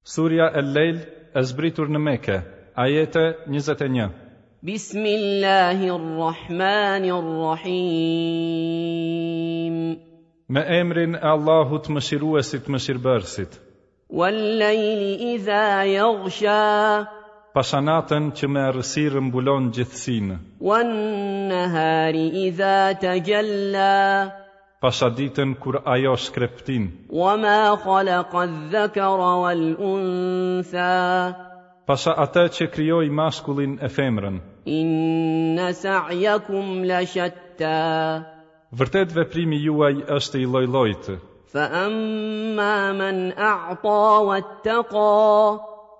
Surja El-Lejl e zbritur në Mekë, ajete 21. Bismillahir Rahmanir Rahim. Me emrin e Allahut Mëshiruesit Mëshirbërësit. Wal-layli idha yaghsha. Pasha natën që me errësirë mbulon gjithësinë. Wan-nahari idha tajalla. Pasha ditën kur ajo shkreptin. Wa ma khalaqa adh-dhakara wal-untha. Pasha atë që krijoi mashkullin e femrën. Inna sa'yakum la shatta. Vërtet veprimi juaj është i lloj-llojtë. Fa amma man a'ta wattaqa.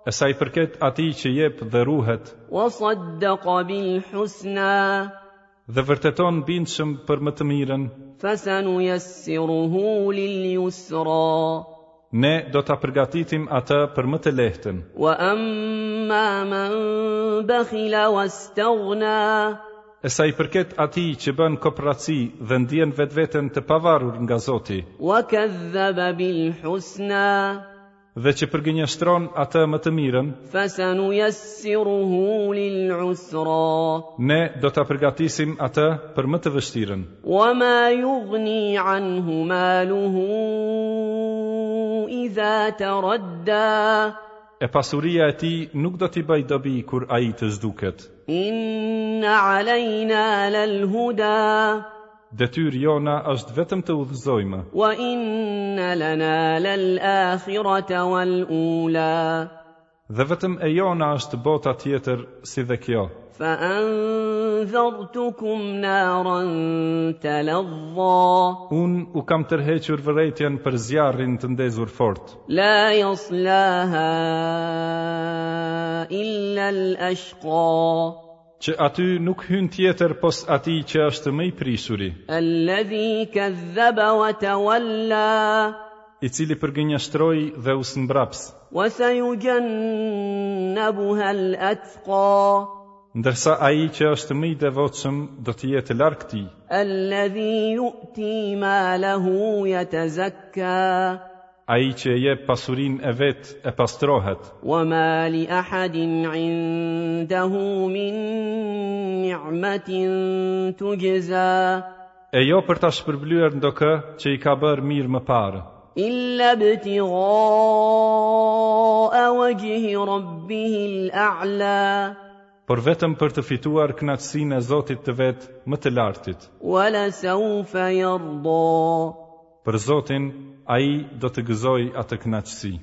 E sa i përket atij që jep dhe ruhet. Wa saddaqa bil husna. Dhe vërteton bindshëm për më të mirën. Fasanuyassiruhu lil yusra. Ne do ta përgatitim atë për më të lehtën. Wa amma man bakhila wastaghna. E sa i përket atij që bën koprraci dhe ndien vetveten të pavarur nga Zoti. Wa kadhaba bil husna. Dhe që përgënjeshtron atë më të mirën, Fasanuyassiruhu lil usra. Ne do ta përgatisim atë për më të vështirën. Wa ma yughni anhu maluhu idha taradda. E pasuria e tij nuk do t'i bëjë dobi kur ai të zhduket. Inna alejna lal huda. Detyrë jona është vetëm të udhëzojmë. Wa inna lana lal akhirata wal ula. Dhe vetëm e jona është bota tjetër si dhe kjo. Fa anzartukum naran taladha. Unë u kam tërhequr vërejtjen për zjarrin të ndezur fort. La yaslaha illa al ashqa. Që aty nuk hyn tjetër pos atij që është më i prishuri. Alladhi kadhaba wa tawalla. I cili përgënjeshtroi dhe u zmbraps. Wa sayujannabuha al-atqa. Ndërsa ai që është më i devotshëm do të jetë larg tij. Alladhi yu'ti malahu yatazakka. Ai që e jep pasurinë e vet e pastrohet. Wa ma li ahadin 'indahu min ni'matin tujza. E jo për ta shpërblyer ndokë që i ka bërë mirë më parë. Illa ibtigha'a wajhi rabbihi al-a'la. Por vetëm për të fituar kënaqësinë e Zotit të vet më të lartit. Wa la sawfa yarda. Për Zotin, ai do të gëzojë atë kënaqësi.